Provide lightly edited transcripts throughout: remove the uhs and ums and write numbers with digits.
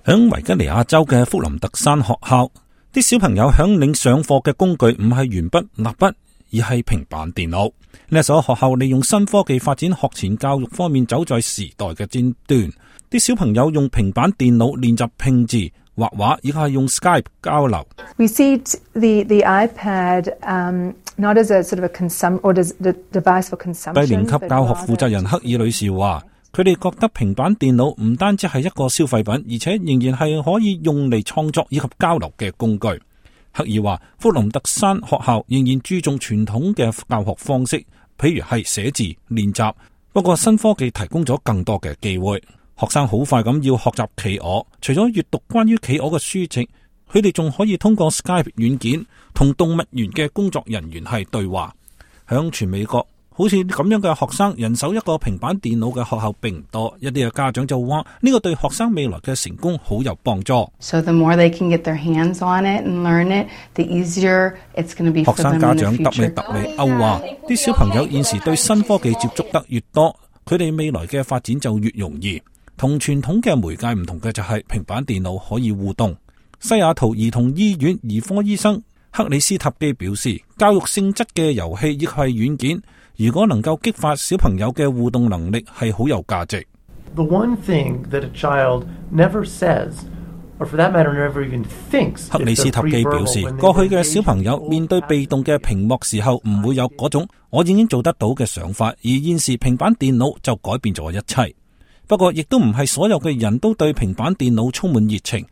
響維吉尼亞州嘅福林特山學校，啲小朋友響領上課嘅工具唔係鉛筆、蠟筆，而係平板電腦。呢一所學校利用新科技發展學前教育方面走在時代嘅尖端。啲小朋友用平板電腦練習拼字、畫畫，亦係用 Skype 交流。We see the iPad not as a sort of a device for consumption。低年級教學負責人克爾女士話，佢哋覺得平板電腦唔單止係一個消費品，而且仍然係可以用嚟創作以及交流嘅工具。克爾話，福林特山學校仍然注重傳統嘅教學方式，譬如係寫字練習，不過新科技提供咗更多嘅機會。學生好快咁要學習企鵝，除咗閱讀關於企鵝嘅書籍，佢哋仲可以通過 Skype 軟件同動物園嘅工作人員係對話。響全美國，好似咁樣嘅學生人手一個平板電腦嘅學校並唔多，一啲嘅家長就話呢個對學生未來嘅成功好有幫助。So the more they can get their hands on it and learn it, the easier it's going to be for them in the future. 學生家長特里歐話，啲小朋友現時對新科技接觸得越多，佢哋未來嘅發展就越容易。同傳統嘅媒介唔同嘅就係平板電腦可以互動。西雅圖兒童醫院兒科醫生克里斯塔基表示，教育性質嘅遊戲亦係軟件，如果能夠激發小朋友嘅互動能力，係好有價值。The one thing that a child never says, or for that matter never even thinks, 克里斯塔基表示，過去嘅小朋友面對被動嘅屏幕時候唔會有嗰種我已經做得到嘅想法，而現時平板電腦就改變咗一切。不過亦都唔係所有嘅人都對平板電腦充滿熱情。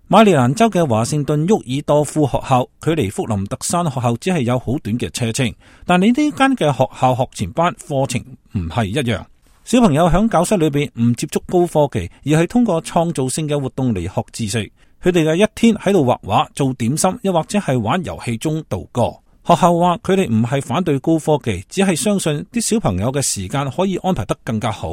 馬里蘭州嘅華盛頓沃爾多夫學校距離福林特山學校只係有好短嘅車程，但你呢間嘅學校學前班課程唔係一樣。小朋友喺教室裏邊唔接觸高科技，而係通過創造性嘅活動嚟學知識。佢哋嘅一天喺度畫畫、做點心，又或者係玩遊戲中度過。學校話佢哋唔係反對高科技，只係相信啲小朋友嘅時間可以安排得更加好。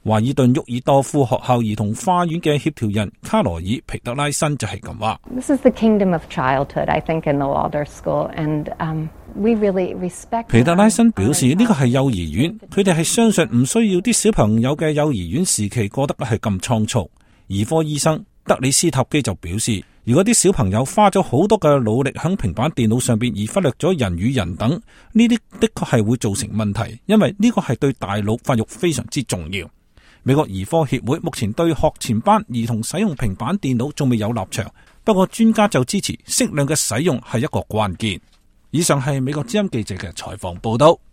華爾頓沃爾多夫學校兒童花園嘅協調人卡羅爾皮特拉森就係咁話。This is the kingdom of childhood, I think, in the Waldorf School, and we really respect. 皮特拉森表示，呢個係幼兒園，佢哋係相信唔需要啲小朋友嘅幼兒園時期過得係咁倉促。兒科醫生德里斯塔基就表示，如果啲小朋友花咗好多嘅努力喺平板電腦上邊，而忽略咗人與人等，呢啲的確係會造成問題，因為呢個係對大腦發育非常之重要。美國兒科協會目前對學前班兒童使用平板電腦仲未有立場，不過專家就支持適量嘅使用係一個關鍵。以上係美國之音記者嘅採訪報道。